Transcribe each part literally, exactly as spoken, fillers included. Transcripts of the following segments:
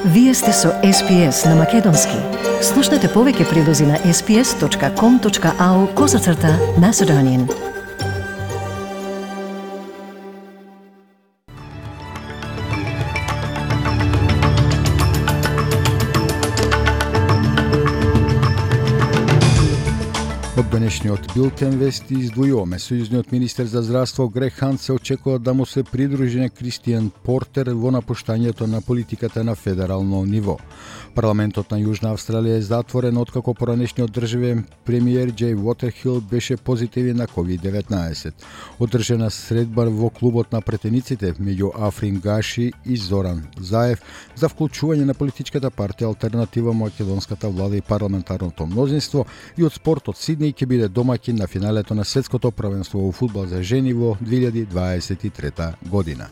Вие сте со Ес Пи Ес на Македонски. Слушнете повеќе прилози на ес пи ес точка ком точка ау козацрта Macedonian. Од денешниот билтен вести издвојуваме. Сојузниот министер за здравство Грег Хант се очекува да му се придружи Кристијан Портер во напуштањето на политиката на федерално ниво. Парламентот на Јужна Австралија е затворен откако поранешниот државен премиер Џеј Уотерхил беше позитивен на ковид деветнаесет. Одржана средба во клубот на претениците меѓу Африн Гаши и Зоран Заев за вклучување на политичката партија Алтернатива македонската влада и парламентарното мнозинство и од спортот Сиднеј ќе биде домаќин на финалето на светското првенство во фудбал за жени во две илјади дваесет и трета година.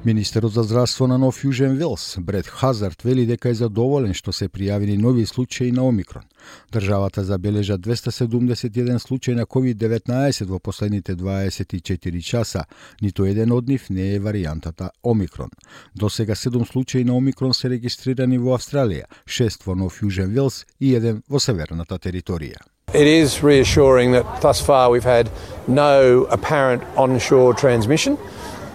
Министерот за здравство на Нов Јужен Велс, Брет Хазард, вели дека е задоволен што се пријавени нови случаи на Омикрон. Државата забележа двеста седумдесет и еден случај на ковид деветнаесет во последните дваесет и четири часа. Ниту еден од нив не е варијантата Омикрон. До сега седум случаи на Омикрон се регистрирани во Австралија, шест во Нов Јужен Велс и еден во северната територија. It is reassuring that thus far we've had no apparent onshore transmission.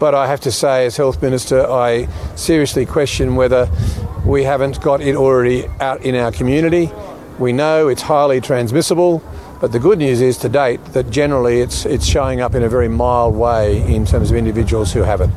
But I have to say, as Health Minister, I seriously question whether we haven't got it already out in our community. We know it's highly transmissible, but the good news is to date that generally it's, it's showing up in a very mild way in terms of individuals who have it.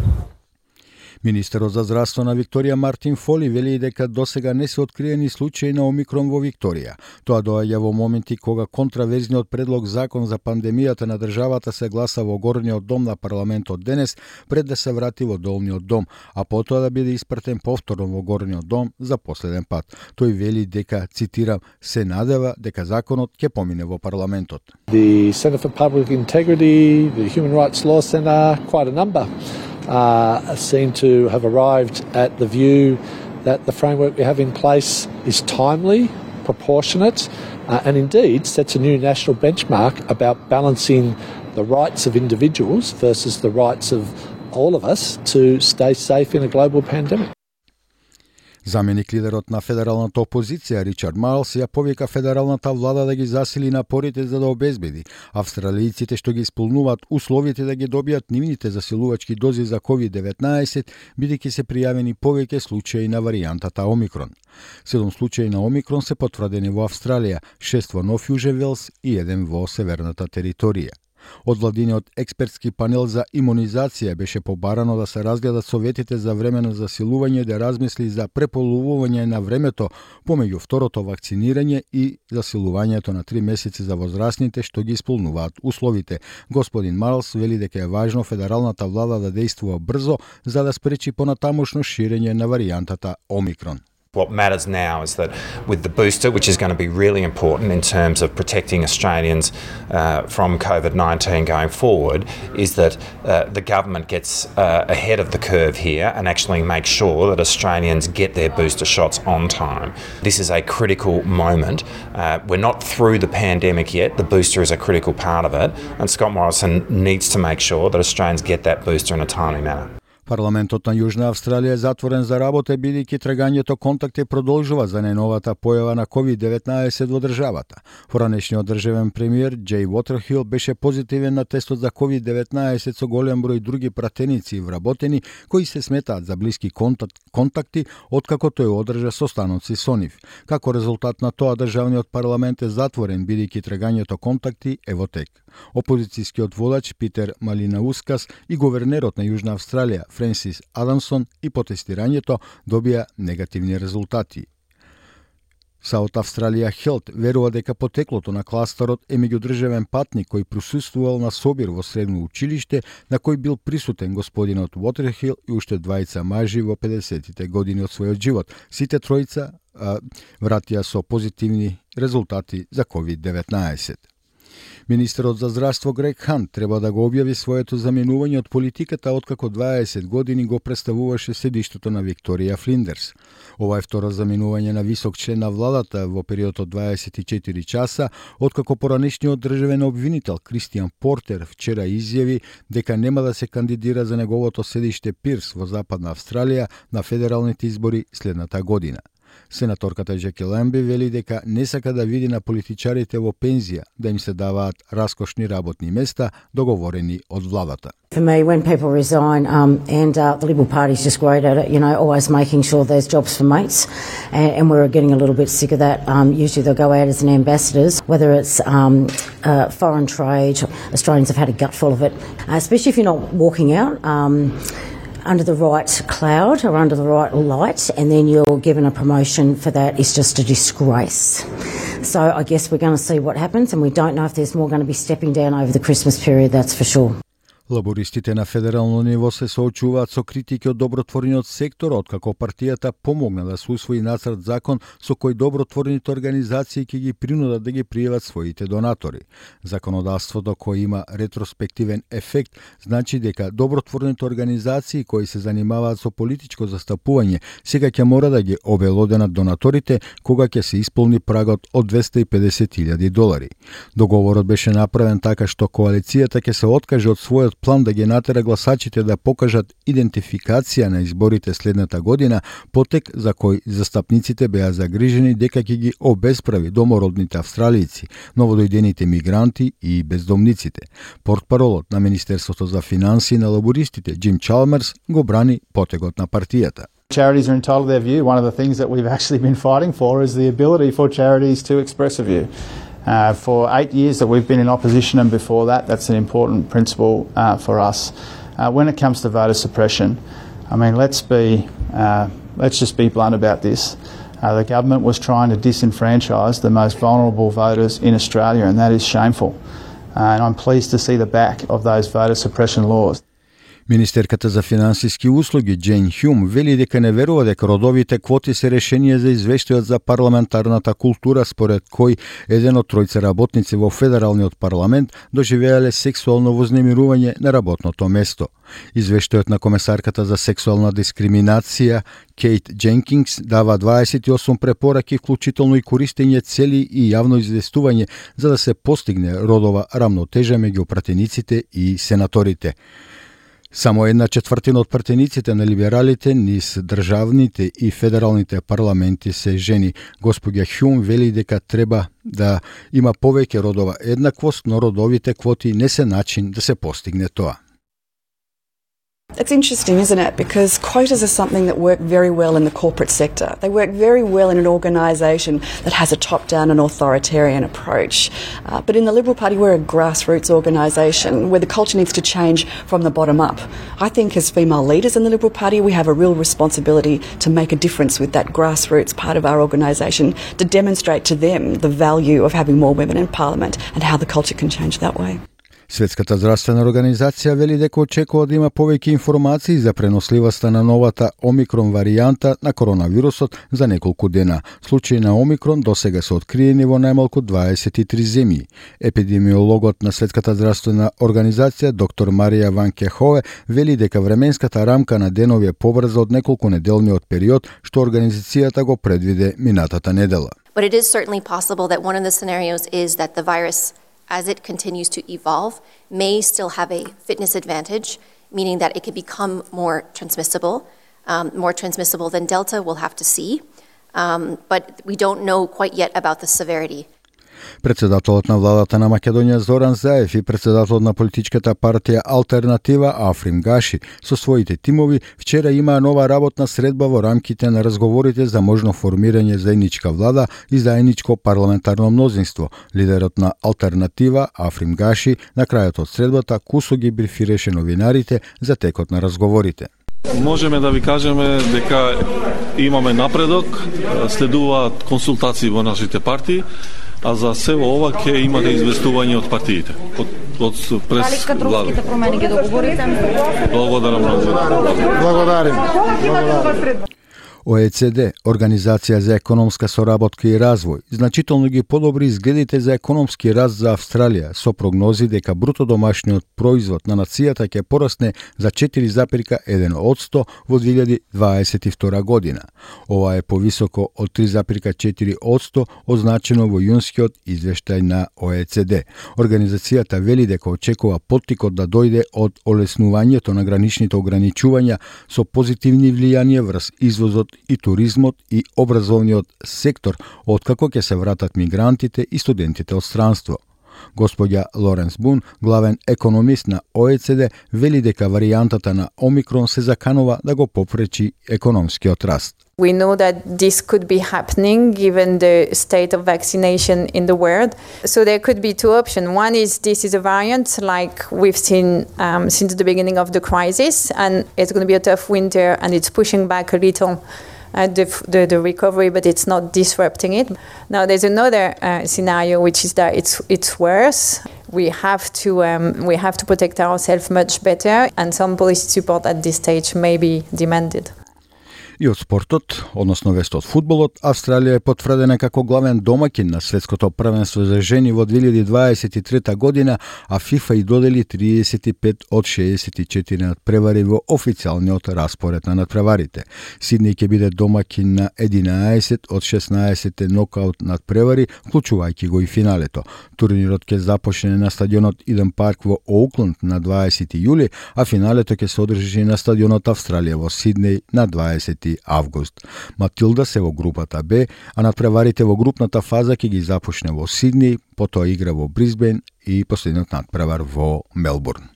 Министерот за здравство на Викторија Мартин Фоли вели дека досега не се откриени случаи на Омикрон во Викторија. Тоа доаѓа во моменти кога контраверзниот предлог закон за пандемијата на државата се гласа во горниот дом на парламентот денес пред да се врати во долниот дом, а потоа да биде испратен повторно во горниот дом за последен пат. Тој вели дека, цитирам, се надева дека законот ќе помине во парламентот. The Centre for Public Integrity, the Human Rights Law Centre, quite a number. Uh, seem to have arrived at the view that the framework we have in place is timely, proportionate, uh, and indeed sets a new national benchmark about balancing the rights of individuals versus the rights of all of us to stay safe in a global pandemic. Заменик лидерот на федералната опозиција Ричард Марлс ја повика федералната влада да ги засили напорите за да обезбеди австралијците што ги исполнуваат условите да ги добијат нивните засилувачки дози за ковид деветнаесет, бидејќи се пријавени повеќе случаи на варијантата Омикрон. Седум случаи на Омикрон се потврдени во Австралија, шест во Нов Јужен Велс и еден во северната територија. Од владиниот експертски панел за имунизација беше побарано да се разгледат советите за време на засилување, да размисли за преполувување на времето помеѓу второто вакцинирање и засилувањето на три месеци за возрастните што ги исполнуваат условите. Господин Марлс вели дека е важно федералната влада да действува брзо за да спречи понатамошно ширење на варијантата Омикрон. What matters now is that with the booster, which is going to be really important in terms of protecting Australians uh, from COVID nineteen going forward, is that uh, the government gets uh, ahead of the curve here and actually makes sure that Australians get their booster shots on time. This is a critical moment. Uh, we're not through the pandemic yet. The booster is a critical part of it, and Scott Morrison needs to make sure that Australians get that booster in a timely manner. Парламентот на Јужна Австралија е затворен за работа бидејќи трагањето контакти продолжува за најновата појава на ковид деветнаесет во државата. Поранешниот државен премиер Џеј Уотерхил беше позитивен на тестот за ковид деветнаесет со голем број други пратеници и вработени кои се сметаат за блиски контакти откако тој одржа состаноци со нив. Како резултат на тоа државниот парламент е затворен бидејќи трагањето контакти е во тек. Опозицијскиот водач Питер Малинаускас и говернерот на Јужна Австралија Френсис Адамсон и по тестирањето добија негативни резултати. South Australia Health верува дека потеклото на кластерот е меѓудржавен патник кој присуствувал на собир во средно училиште на кој бил присутен господинот Уотерхил и уште двајца мажи во педесетите години од својот живот. Сите тројца а, вратија со позитивни резултати за ковид деветнаесет. Министерот за здравство Грег Хант треба да го објави своето заменување од политиката откако дваесет години го представуваше седиштето на Викторија Флиндерс. Ова е второ заменување на висок член на владата во период од дваесет и четири часа, откако поранешниот државен обвинител Кристијан Портер вчера изјави дека нема да се кандидира за неговото седиште Пирс во Западна Австралија на федералните избори следната година. Сенаторката Джеки Ламби вели дека не сака да види на политичарите во пензија да им се даваат раскошни работни места договорени од владата. For me, when people resign, um, and uh, the Liberal Party's just great at it, you know, always making sure there's jobs for mates, and, and we're getting a little bit sick of that. Um, usually they'll go out as an ambassadors, whether it's um, uh, foreign trade. Australians have had a gutful of it, uh, especially if you're not walking out um, under the right cloud or under the right light, and then you're given a promotion for that is just a disgrace. So I guess we're going to see what happens, and we don't know if there's more going to be stepping down over the Christmas period, that's for sure. Лабористите на федерално ниво се соочуваат со критики од добротворниот сектор, откако партијата помогна да се усвои нацрт закон со кој добротворните организации ќе ги принудат да ги пријават своите донатори. Законодавството кој има ретроспективен ефект значи дека добротворните организации кои се занимаваат со политичко застапување сега ќе мора да ги обелоденат донаторите кога ќе се исполни прагот од двесте и педесет илјади долари. Договорот беше направен така што коалицијата ќе се откаже од својот план да ги натера гласачите да покажат идентификација на изборите следната година, потек за кој застапниците беа загрижени дека ќе ги обесправи домородните австралијци, новодојдените мигранти и бездомниците. Портпаролот на Министерството за финансии на лабористите Джим Чалмерс го брани потегот на партијата. Charities are entitled to their view. One of the things that we've actually been fighting for is the ability for charities to express a view. Uh, for eight years that we've been in opposition, and before that, that's an important principle uh, for us. Uh, when it comes to voter suppression, I mean, let's be, uh, let's just be blunt about this. Uh, the government was trying to disenfranchise the most vulnerable voters in Australia, and that is shameful. Uh, and I'm pleased to see the back of those voter suppression laws. Министерката за финансиски услуги Джейн Хјум вели дека не верува дека родовите квоти се решение за извештајот за парламентарната култура според кој еден од тројца работници во федералниот парламент доживеале сексуално вознемирување на работното место. Извештајот на комесарката за сексуална дискриминација Кейт Дженкинс дава дваесет и осум препораки, вклучително и користење цели и јавно известување за да се постигне родова рамнотежа меѓу пратениците и сенаторите. Само една четвртина од пратениците на либералите низ државните и федералните парламенти се жени. Господја Хјум вели дека треба да има повеќе родова еднаквост, но родовите квоти не се начин да се постигне тоа. It's interesting, isn't it? Because quotas are something that work very well in the corporate sector. They work very well in an organisation that has a top-down and authoritarian approach. Uh, but in the Liberal Party, we're a grassroots organisation where the culture needs to change from the bottom up. I think as female leaders in the Liberal Party, we have a real responsibility to make a difference with that grassroots part of our organisation, to demonstrate to them the value of having more women in Parliament and how the culture can change that way. Светската здравствена организација вели дека очекува да има повеќе информации за преносливоста на новата омикрон варијанта на коронавирусот за неколку дена. Случаи на омикрон досега се откриени во најмалку дваесет и три земји. Епидемиологот на Светската здравствена организација доктор Марија Ван Кехове вели дека временската рамка на денови е побрза од неколку неделниот период што организацијата го предвиде минатата недела. But it is certainly possible that one of the scenarios is that the virus, as it continues to evolve, may still have a fitness advantage, meaning that it can become more transmissible, um, more transmissible than Delta. We'll have to see, um, but we don't know quite yet about the severity. Председателот на владата на Македонија Зоран Заев и председателот на политичката партија Алтернатива Африм Гаши со своите тимови вчера имаа нова работна средба во рамките на разговорите за можно формирање заедничка влада и заедничко парламентарно мнозинство. Лидерот на Алтернатива Африм Гаши на крајот од средбата кусо ги брифираше новинарите за текот на разговорите. Можеме да ви кажеме дека имаме напредок, следуваат консултации во нашите партии, а за се ова ќе имате известување од партиите, од, од прес Дали кадровските промени ги договорите? Благодарам многу. Благодарим. О Е Це Де, Организација за економска соработка и развој, значително ги подобри изгледите за економски раст за Австралија со прогнози дека бруто домашниот производ на нацијата ќе порасне за четири запирка еден одсто во две илјади дваесет и втора година. Ова е повисоко од три запирка четири одсто означено во јунскиот извештај на О Е Це Де. Организацијата вели дека очекува поттикот да дојде од олеснувањето на граничните ограничувања со позитивни влијанија врз извозот и туризмот и образовниот сектор, откако ќе се вратат мигрантите и студентите од странство. Господја Лоренс Бун, главен економист на О Е Це Де, вели дека варијантата на Омикрон се заканува да го попречи економскиот раст. We know that this could be happening given the state of vaccination in the world. So there could be two options. One is this is a variant like we've seen um, since the beginning of the crisis, and it's going to be a tough winter and it's pushing back a little uh, the, the, the recovery, but it's not disrupting it. Now there's another uh, scenario, which is that it's, it's worse. We have to um, we have to protect ourselves much better, and some policy support at this stage may be demanded. И од спортот, односно вест од фудбалот, Австралија е потврдена како главен домаќин на светското првенство за жени во две илјади дваесет и трета година, а ФИФА и додели триесет и пет од шеесет и четири надпревари во официјалниот распоред на надпреварите. Сиднеј ќе биде домаќин на единаесет од шеснаесет нокаут надпревари, вклучувајќи го и финалето. Турнирот ќе започне на стадионот Иден Парк во Оукланд на дваесети јули, а финалето ќе се одржи на стадионот Австралија во Сиднеј на дваесети август. Матилда се во групата Б, а надпреварите во групната фаза ќе ги започне во Сиднеј, потоа игра во Брисбен и последниот надпревар во Мелбурн.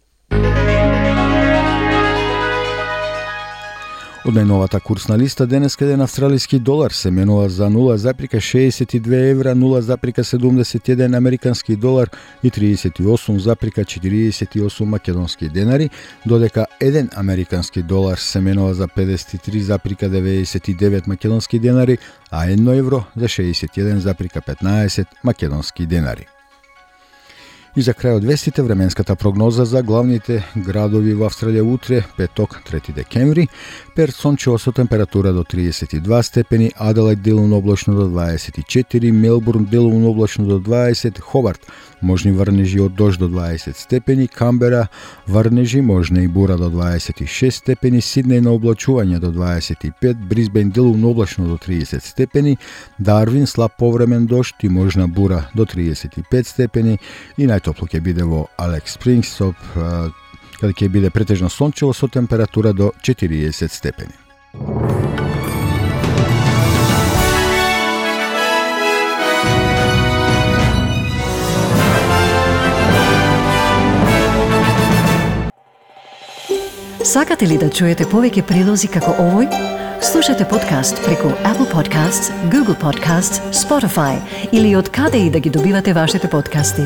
Од најновата курсна листа денеска еден австралиски долар се менува за нула запирка шеесет и две евра, нула запирка седумдесет и еден американски долар и триесет и осум запирка четириесет и осум македонски денари, додека еден американски долар се менува за педесет и три запирка деветдесет и девет македонски денари, а едно евро за шеесет и еден запирка петнаесет македонски денари. И за крај од вестите, временската прогноза за главните градови во Австралија утре, петок, трети декември. Перт сончево со температура до триесет и два степени, Аделајд делумно облачно до дваесет и четири, Мелбурн делумно облачно до дваесет, Хобарт можни врнежи од дожд до дваесет степени, Камбера врнежи, можна и бура до дваесет и шест степени, Сиднеј на облачување до дваесет и пет, Брисбен делумно облачно до триесет степени, Дарвин слаб повремен дожд и можна бура до триесет и пет степени и најтопло ќе биде во Алекс Спрингс, каде ќе биде претежно сончево со температура до четириесет степени. Сакате ли да чуете повеќе прилози како овој? Слушате подкаст преку Apple Podcasts, Google Podcasts, Spotify или од каде и да ги добивате вашите подкасти.